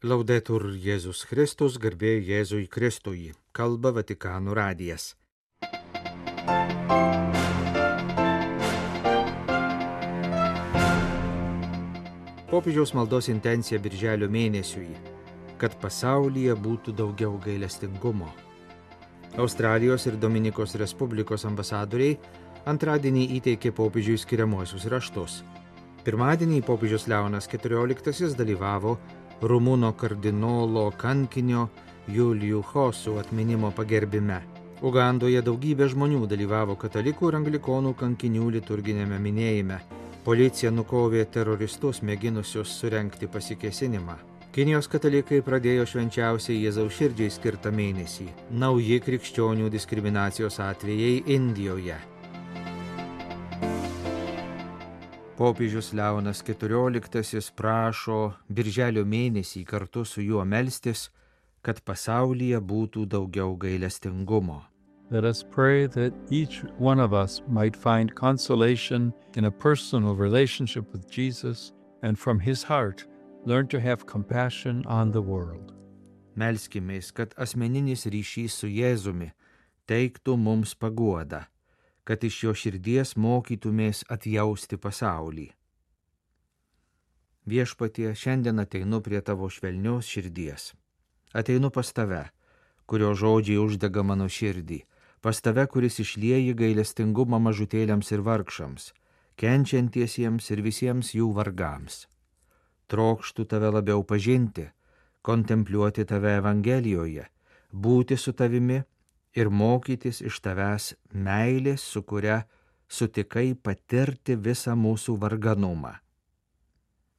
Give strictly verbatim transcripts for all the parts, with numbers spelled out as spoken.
Laudetur Jėzus Kristus, garbė Jėzui Kristui, kalba Vatikano radijas. Popiežiaus maldos intencija birželio mėnesiui, kad pasaulyje būtų daugiau gailestingumo. Australijos ir Dominikos Respublikos ambasadoriai antradienį įteikė popiežiui skiriamuosius raštus. Pirmadienį popiežius Leonas keturioliktasis dalyvavo Rumuno kardinolo kankinio Julijų Hosų atminimo pagerbime. Ugandoje daugybė žmonių dalyvavo katalikų ir anglikonų kankinių liturginėme minėjime. Policija nukovė teroristus mėginusius surengti pasikėsinimą. Kinijos katalikai pradėjo švenčiausiai Jėzaus širdžiai skirtą mėnesį. Nauji krikščionių diskriminacijos atvejai Indijoje. Popiežius Leonas keturioliktasis prašo birželio mėnesį kartu su juo melstis, kad pasaulyje būtų daugiau gailestingumo. Let us pray that each one of us might find consolation in a personal relationship with Jesus and from his heart learn to have compassion on the world. Melskimės, kad asmeninis ryšys su Jėzumi teiktų mums paguodą, kad iš jo širdies mokytumės atjausti pasaulį. Viešpatie, šiandien ateinu prie tavo švelnios širdies. Ateinu pas tave, kurio žodžiai uždega mano širdį, pas tave, kuris išlieji gailestingumą mažutėliams ir vargšams, kenčiantiesiems ir visiems jų vargams. Trokštu tave labiau pažinti, kontempliuoti tave Evangelijoje, būti su tavimi ir mokytis iš tavęs meilės, su kuria sutikai patirti visą mūsų varganumą.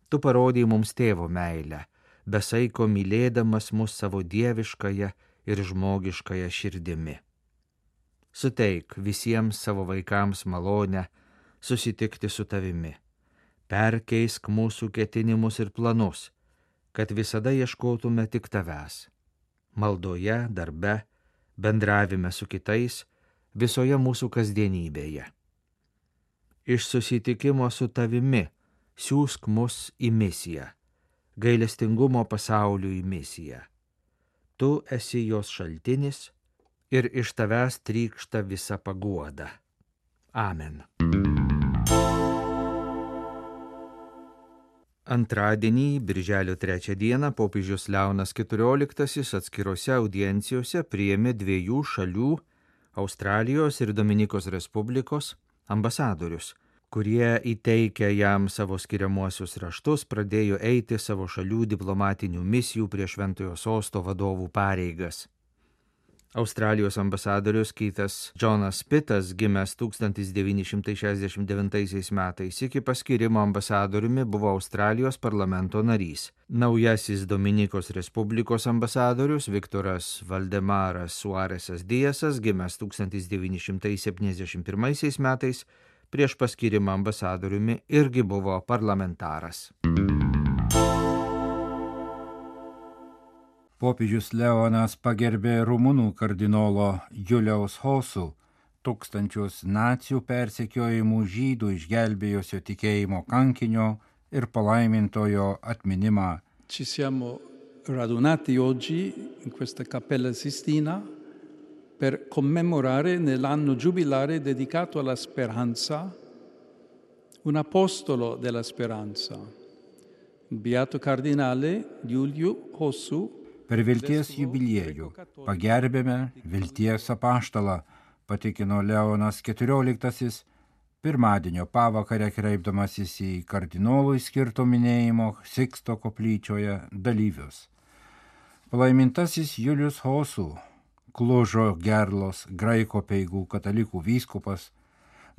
Tu parodei mums tėvo meilę, besaiko mylėdamas mus savo dieviškąją ir žmogiškąją širdimi. Suteik visiems savo vaikams malonę susitikti su tavimi. Perkeisk mūsų ketinimus ir planus, kad visada ieškotume tik tavęs. Maldoje, darbe, bendravime su kitais, visoje mūsų kasdienybėje. Iš susitikimo su tavimi siųsk mus į misiją, gailestingumo pasauliui misiją. Tu esi jos šaltinis ir iš tavęs trykšta visa paguoda. Amen. Antradienį, birželio trečią dieną, popiežius Leonas keturioliktasis atskirose audiencijose priėmė dviejų šalių, Australijos ir Dominikos Respublikos, ambasadorius, kurie įteikę jam savo skiriamuosius raštus pradėjo eiti savo šalių diplomatinių misijų prie Šventojo Sosto vadovų pareigas. Australijos ambasadorius Keithas Jonas Pittas, gimęs tūkstantis devyni šimtai šešiasdešimt devintaisiais metais, iki paskyrimo ambasadoriumi buvo Australijos parlamento narys. Naujasis Dominikos Respublikos ambasadorius Viktoras Valdemaras Suaresas Diasas, gimęs tūkstantis devyni šimtai septyniasdešimt pirmaisiais metais, prieš paskyrimą ambasadoriumi irgi buvo parlamentaras. Popiežius Leonas pagerbė rumunų kardinolo Julijaus Hosų, tūkstančius nacių persekiojimų žydų išgelbėjusio tikėjimo kankinio ir palaimintojo atminimą. Ci siamo radunati oggi in questa Cappella Sistina per commemorare nell'anno giubilare dedicato alla speranza un apostolo della speranza, il beato cardinale Julių Hosų. Per vilties jubiliejų pagerbėme vilties apaštalą, patikino Leonas keturioliktasis, pirmadienio pavakarę kreipdamasis į kardinolui skirto minėjimo Siksto koplyčioje dalyvius. Palaimintasis Julius Hosų, Klužo Gerlos graiko peigų katalikų vyskupas,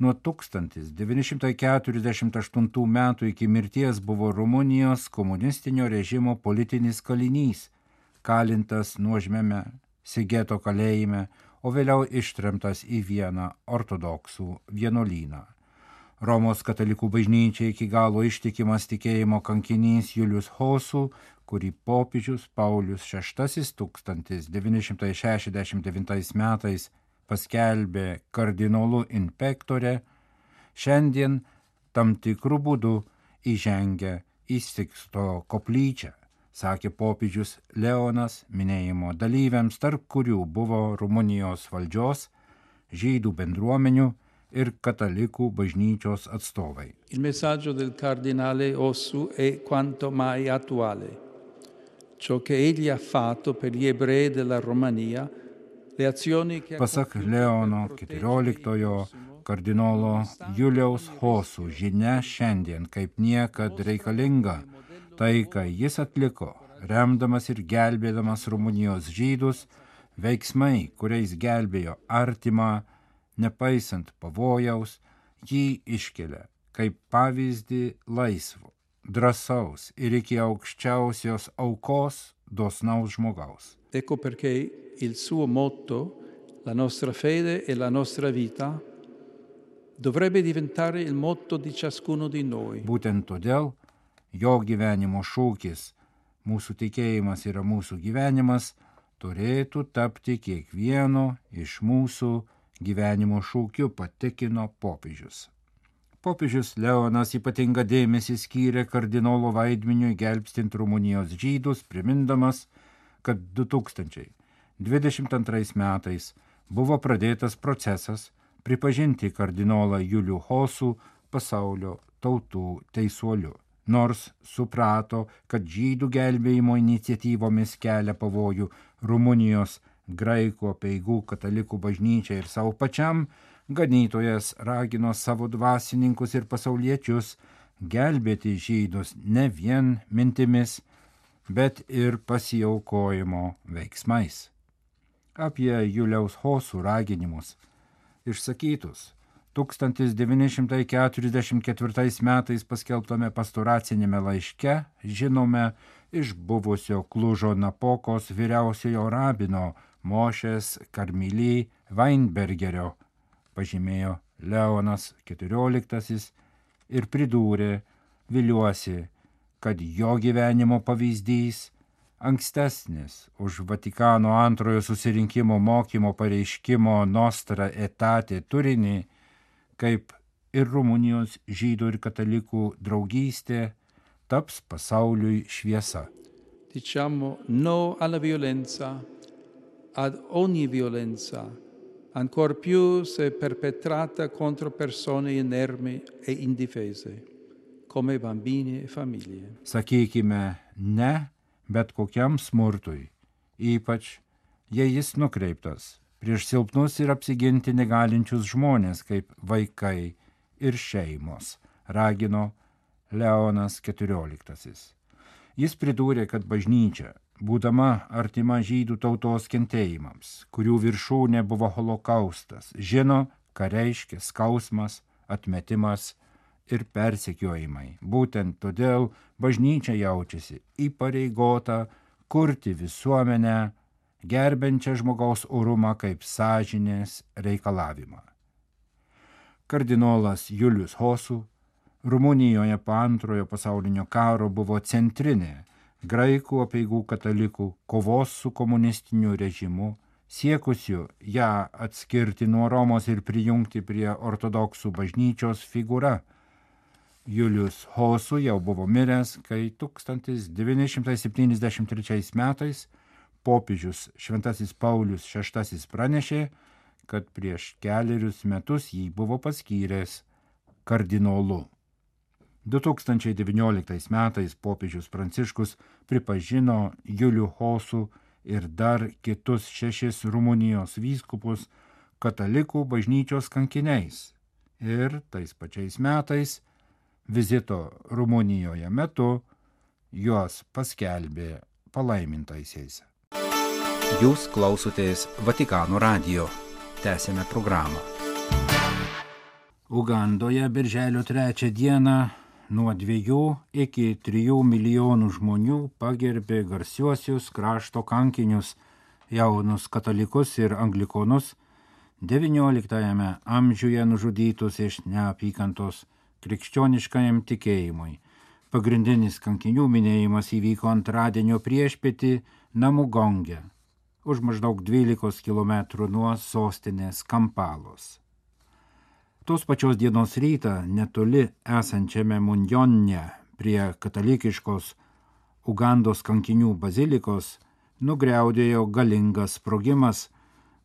nuo tūkstantis devyni šimtai keturiasdešimt aštuntų metų iki mirties buvo Rumunijos komunistinio režimo politinis kalinys, kalintas nuožmiame Sigeto kalėjime, o vėliau ištremtas į vieną ortodoksų vienuolyną. Romos katalikų bažnyčiai iki galo ištikimas tikėjimo kankinys Julius Hosų, kurį popiežius Paulius šeštasis tūkstantis devyni šimtai šešiasdešimt devintais metais paskelbė kardinolu in pectore, šiandien tam tikrų būdų įžengia į Siksto koplyčią, sakė popiežius Leonas minėjimo dalyviams, tarp kurių buvo Rumunijos valdžios, žydų bendruomenių ir katalikų bažnyčios atstovai. Il messaggio del cardinale Ossu è quanto mai attuale. Ciò che egli ha fatto per gli ebrei della Romania, le azioni che ha Pasak Leono keturioliktojo kardinolo Juliaus Hosų žinia šiandien kaip niekad reikalinga. Tai, ką jis atliko, remdamas ir gelbėdamas Rumunijos žydus, veiksmai, kuriais gelbėjo artimą, nepaisant pavojaus, jį iškelia kaip pavyzdį laisvo, drąsaus ir iki aukščiausios aukos dosnaus žmogaus. Ecco perché il suo motto, la nostra fede e la nostra vita, dovrebbe diventare il motto di ciascuno di noi. Būtent todėl jo gyvenimo šūkis, mūsų tikėjimas yra mūsų gyvenimas, turėtų tapti kiekvieno iš mūsų gyvenimo šūkiu, patikino popiežius. Popiežius Leonas ypatingą dėmesį skyrė kardinolo vaidmeniui gelbstint Rumunijos žydus, primindamas, kad du tūkstančiai dvidešimt antrais metais buvo pradėtas procesas pripažinti kardinolą Julių Hosų pasaulio tautų teisuoliu, nors suprato, kad žydų gelbėjimo iniciatyvomis kelia pavojų Rumunijos graikų apeigų katalikų bažnyčiai ir savo pačiam, ganytojas ragino savo dvasininkus ir pasauliečius gelbėti žydus ne vien mintimis, bet ir pasiaukojimo veiksmais. Apie Juliaus Hosų raginimus išsakytus tūkstantis devyni šimtai keturiasdešimt ketvirtais metais paskelbtame pastoracinėme laiške žinome iš buvusio Klužo Napokos vyriausiojo rabino Mošės Karmily Weinbergerio, pažymėjo Leonas keturioliktasis ir pridūrė, viliuosi, kad jo gyvenimo pavyzdys ankstesnis už Vatikano antrojo susirinkimo mokymo pareiškimo Nostra Aetate turinį, kaip ir Rumunijos žydų ir katalikų draugystė, taps pasauliui šviesa. Diciamo no alla violenza, ad ogni violenza, ancor più se perpetrata contro persone inermi e indifese, come bambini e famiglie. Sakykime ne bet kokiam smurtui, ypač jei jis nukreiptas prieš silpnus ir apsiginti negalinčius žmonės kaip vaikai ir šeimos, ragino Leonas keturioliktasis. Jis pridūrė, kad bažnyčia, būdama artima žydų tautos kentėjimams, kurių viršūnė buvo holokaustas, žino, ką reiškia skausmas, atmetimas ir persekiojimai. Būtent todėl bažnyčia jaučiasi įpareigota kurti visuomenę, gerbiančią žmogaus orumą kaip sąžinės reikalavimą. Kardinolas Julius Hosų Rumunijoje po antrojo pasaulinio karo buvo centrinė graikų apeigų katalikų kovos su komunistiniu režimu, siekusiu ją atskirti nuo Romos ir prijungti prie ortodoksų bažnyčios figūra. Julius Hosų jau buvo miręs, kai tūkstantis devyni šimtai septyniasdešimt trečiais metais popiežius Šventasis Paulius šeštasis pranešė, kad prieš kelerius metus jį buvo paskyręs kardinolu. du tūkstančiai devynioliktais metais popiežius Pranciškus pripažino Julių Hosų ir dar kitus šešis Rumunijos vyskupus katalikų bažnyčios kankiniais ir tais pačiais metais vizito Rumunijoje metu juos paskelbė palaimintaisiais. Jūs klausotės Vatikano radijo. Tęsėme programą. Ugandoje birželio trečią dieną nuo dviejų iki trijų milijonų žmonių pagerbė garsiuosius krašto kankinius, jaunus katalikus ir anglikonus, devynioliktajame amžiuje nužudytus iš neapykantos krikščioniškajam tikėjimui. Pagrindinis kankinių minėjimas įvyko antradienio priešpietį Namugonge, už maždaug dvylikos kilometrų nuo sostinės Kampalos. Tos pačios dienos rytą netoli esančiame Munjonne prie katalikiškos Ugandos kankinių bazilikos nugriaudėjo galingas sprogimas.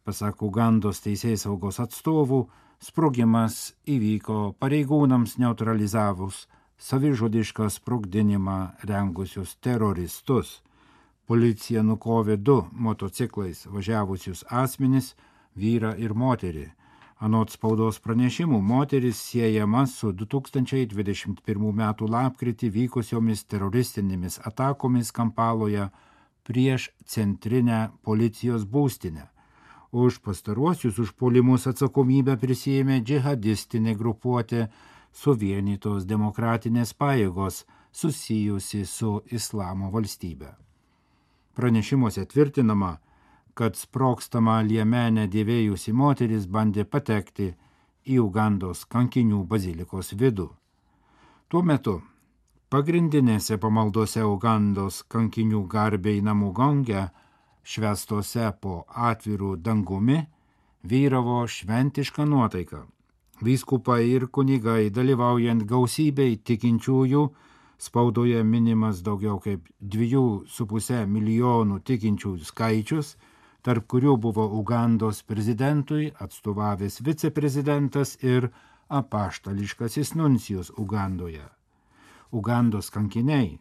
Pasak Ugandos teisėsaugos atstovų, sprogimas įvyko pareigūnams neutralizavus savižudišką sprogdinimą rengusius teroristus. Policija nukovė du motociklais važiavusius asmenis, vyrą ir moterį. Anot spaudos pranešimų, moteris siejama su du tūkstančiai dvidešimt pirmų metų lapkritį vykusiomis teroristinėmis atakomis Kampaloje prieš centrinę policijos būstinę. Už pastaruosius užpuolimus atsakomybę prisėmė džihadistinė grupuotė Suvienytos demokratinės pajėgos susijusi su Islamo valstybe. Pranešimuose tvirtinama, kad sprogstamą liemenę dėvėjusi moteris bandė patekti į Ugandos kankinių bazilikos vidų. Tuo metu pagrindinėse pamaldose Ugandos kankinių garbei namų gonge, švęstose po atvirų dangumi, vyravo šventiška nuotaika. Vyskupai ir kunigai, dalyvaujant gausybei tikinčiųjų, spaudoje minimas daugiau kaip dviejų su pusė milijonų tikinčiųjų skaičius, tarp kurių buvo Ugandos prezidentui atstovavęs viceprezidentas ir apaštališkasis nuncijus Ugandoje. Ugandos kankiniai,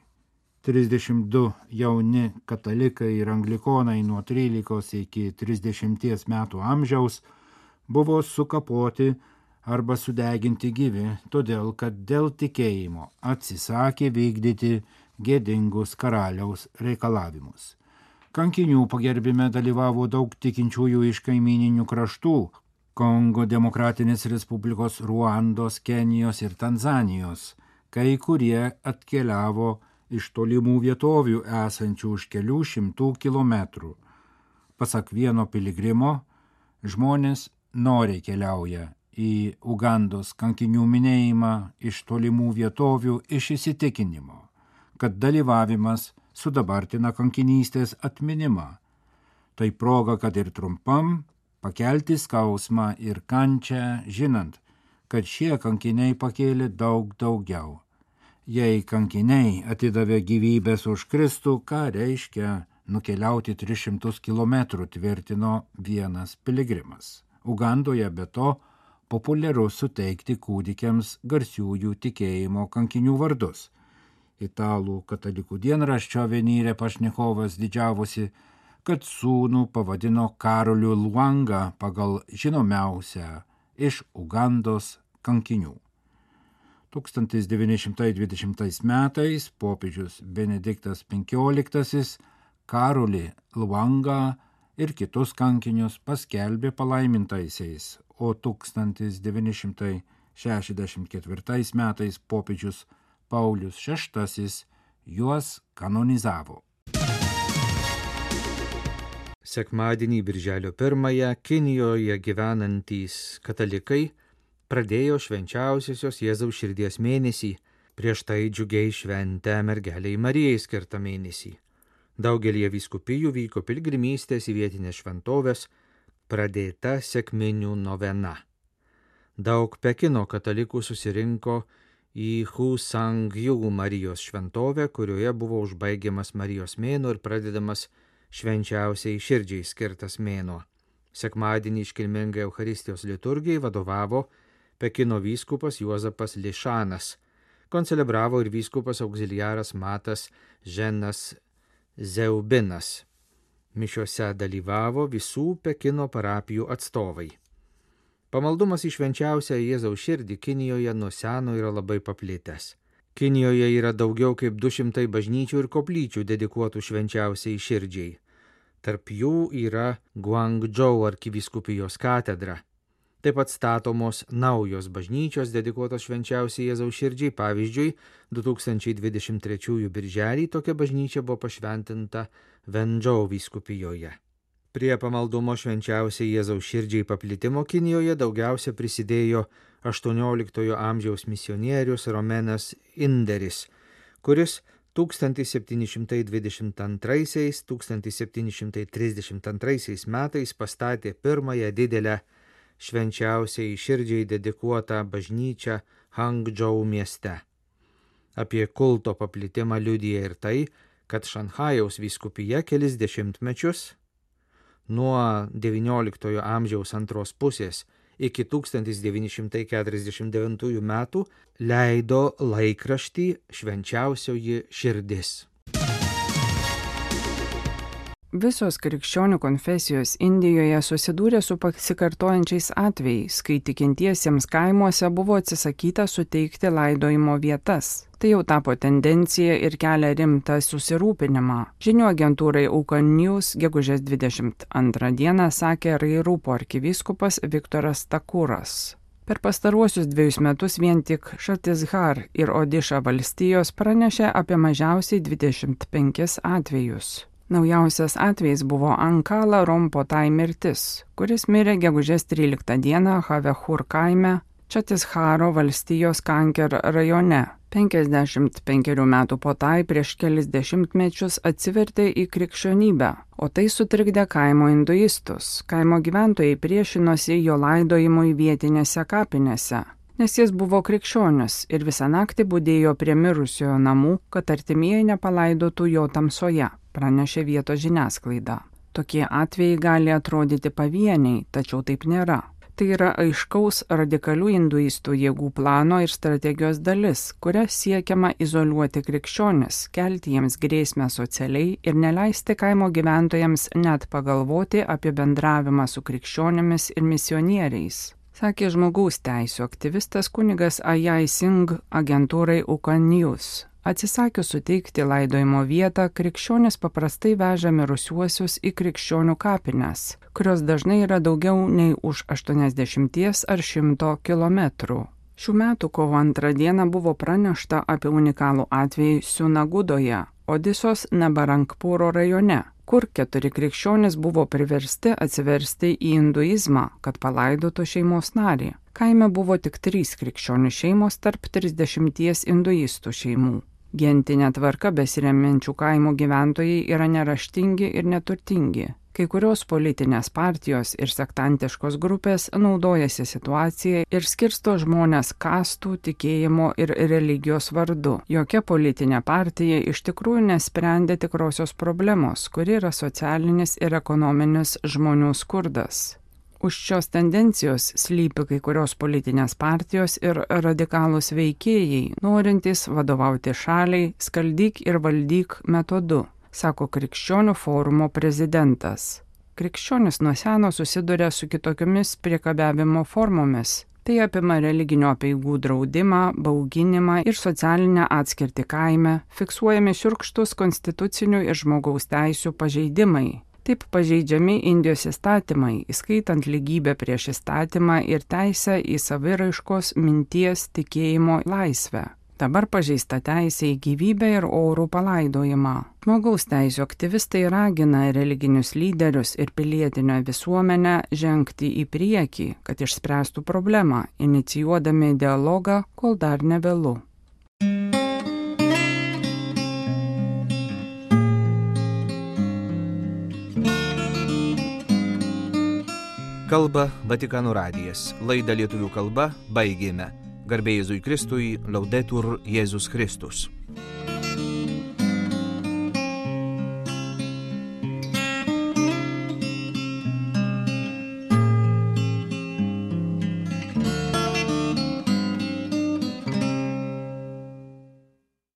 trisdešimt du jauni katalikai ir anglikonai nuo trylikos iki trisdešimties metų amžiaus, buvo sukapoti arba sudeginti gyvi, todėl kad dėl tikėjimo atsisakė vykdyti gėdingus karaliaus reikalavimus. Kankinių pagerbime dalyvavo daug tikinčiųjų iš kaimininių kraštų – Kongo Demokratinės Respublikos, Ruandos, Kenijos ir Tanzanijos, kai kurie atkeliavo iš tolimų vietovių esančių už kelių šimtų kilometrų. Pasak vieno piligrimo, žmonės noriai keliauja į Ugandos kankinių minėjimą iš tolimų vietovių iš įsitikinimo, kad dalyvavimas sudabartina kankinystės atminimą. Tai proga, kad ir trumpam pakelti skausmą ir kančią, žinant, kad šie kankiniai pakėlė daug daugiau. Jei kankiniai atidavė gyvybės už Kristų, ką reiškia nukeliauti tris šimtus kilometrų, tvirtino vienas piligrimas. Ugandoje be to populiaru suteikti kūdikiams garsiųjų tikėjimo kankinių vardus. Italų katalikų dienraščio Venire pašnekovas didžiavosi, kad sūnų pavadino Karoliu Luanga pagal žinomiausią iš Ugandos kankinių. tūkstantis devyni šimtai dvidešimtais metais popiežius Benediktas penkioliktasis Karolį Luangą ir kitus kankinius paskelbė palaimintaisiais, o tūkstantis devyni šimtai šešiasdešimt ketvirtais metais popiežius Paulius šeštasis juos kanonizavo. Sekmadienį birželio pirmąją Kinijoje gyvenantys katalikai pradėjo švenčiausiosios Jėzaus širdies mėnesį, prieš tai džiugiai šventę mergelei Marijai skirtą mėnesį. Daugelie vyskupijų vyko pilgrimystės į vietinės šventovės, pradėta sekminių novena. Daug Pekino katalikų susirinko į Husangju Marijos šventovę, kurioje buvo užbaigiamas Marijos mėnuo ir pradedamas švenčiausiai širdžiai skirtas mėnuo. Sekmadienį iškilmingai Eucharistijos liturgijai vadovavo Pekino vyskupas Juozapas Lišanas, koncelebravo ir vyskupas auxiliaras Matas Ženas Zeubinas. Mišiose dalyvavo visų Pekino parapijų atstovai. Pamaldumas į švenčiausią Jėzaus širdį Kinijoje nuo seno yra labai paplitęs. Kinijoje yra daugiau kaip du šimtai bažnyčių ir koplyčių dedikuotų švenčiausiai širdžiai. Tarp jų yra Guangdžou arkivyskupijos katedra. Taip pat statomos naujos bažnyčios dedikuotos švenčiausiai Jėzaus širdžiai. Pavyzdžiui, du tūkstančiai dvidešimt trečiųjų birželį tokia bažnyčia buvo pašventinta Vendžou vyskupijoje. Prie pamaldumo švenčiausiai Jėzaus širdžiai paplitimo Kinijoje daugiausia prisidėjo aštuonioliktojo amžiaus misionierius Romenas Inderis, kuris tūkstantis septyni šimtai dvidešimt antraisiais - tūkstantis septyni šimtai trisdešimt antraisiais metais pastatė pirmąją didelę švenčiausiai širdžiai dedikuotą bažnyčią Hangdžou mieste. Apie kulto paplitimą liudija ir tai, kad Šanchajaus vyskupija kelis dešimtmečius nuo devynioliktojo amžiaus antros pusės iki tūkstantis devyni šimtai keturiasdešimt devintųjų metų leido laikraštį Švenčiausioji širdis. Visos krikščionių konfesijos Indijoje susidūrė su pasikartojančiais atvejais, kai tikintiesiems kaimuose buvo atsisakyta suteikti laidojimo vietas. Tai jau tapo tendencija ir kelia rimtą susirūpinimą. Žinių agentūrai Aukan News gegužės dvidešimt antrą dieną sakė Rairupo arkivyskupas Viktoras Takuras. Per pastaruosius dviejus metus vien tik Šatishar ir Odiša valstijos pranešė apie mažiausiai dvidešimt penkis atvejus. Naujausias atvejis buvo Ankala Rompotai mirtis, kuris mirė gegužės tryliktą dieną Havehur kaime, Čatisharo valstijos Kanker rajone. penkiasdešimt penkerių metų Potai prieš kelis dešimtmečius atsivertė į krikščionybę, o tai sutrikdė kaimo hinduistus. Kaimo gyventojai priešinosi jo laidojimui vietinėse kapinėse, nes jis buvo krikščionis ir visą naktį budėjo prie mirusiojo namų, kad artimieji nepalaidotų jo tamsoje, pranešė vietos žiniasklaida. Tokie atvejai gali atrodyti pavieniai, tačiau taip nėra. Tai yra aiškaus radikalių hinduistų jėgų plano ir strategijos dalis, kuria siekiama izoliuoti krikščionis, kelti jiems grėsmę socialiai ir neleisti kaimo gyventojams net pagalvoti apie bendravimą su krikščionimis ir misionieriais, sakė žmogaus teisių aktyvistas kunigas Ajay Singh agentūrai Aukan News. Atsisakius suteikti laidojimo vietą, krikščionis paprastai veža mirusiuosius į krikščionių kapines, kurios dažnai yra daugiau nei už aštuoniasdešimties ar šimto kilometrų. Šių metų kovo antrą dieną buvo pranešta apie unikalų atvejį Sunagudoje, Odisos Nabarangpuro rajone, kur keturi krikščionys buvo priversti atsiversti į hinduizmą, kad palaidotų šeimos narį. Kaime buvo tik trys krikščionių šeimos tarp trisdešimties hinduistų šeimų. Gentinė tvarka besiremiančių kaimo gyventojai yra neraštingi ir neturtingi. Kai kurios politinės partijos ir sektantiškos grupės naudojasi situaciją ir skirsto žmonės kastų, tikėjimo ir religijos vardu. Jokia politinė partija iš tikrųjų nesprendė tikrosios problemos, kuri yra socialinis ir ekonominis žmonių skurdas. Už šios tendencijos slypi kai kurios politinės partijos ir radikalūs veikėjai, norintys vadovauti šaliai skaldyk ir valdyk metodu, sako Krikščionių forumo prezidentas. Krikščionis nuo seno susiduria su kitokiomis priekabiavimo formomis. Tai apima religinio apeigų draudimą, bauginimą ir socialinę atskirtį kaime, fiksuojami šiurkštus konstitucinių ir žmogaus teisių pažeidimai. Taip pažeidžiami Indijos įstatymai, įskaitant lygybę prieš įstatymą ir teisę į saviraiškos, minties, tikėjimo laisvę. Dabar pažeista teisė į gyvybę ir orų palaidojimą. Žmogaus teisių aktyvistai ragina religinius lyderius ir pilietinę visuomenę žengti į priekį, kad išspręstų problemą, inicijuodami dialogą, kol dar nevėlu. Kalba Vatikano radijas. Laidą lietuvių kalba baigėme. Garbė Jėzui Kristui, Laudetur Jėzus Kristus.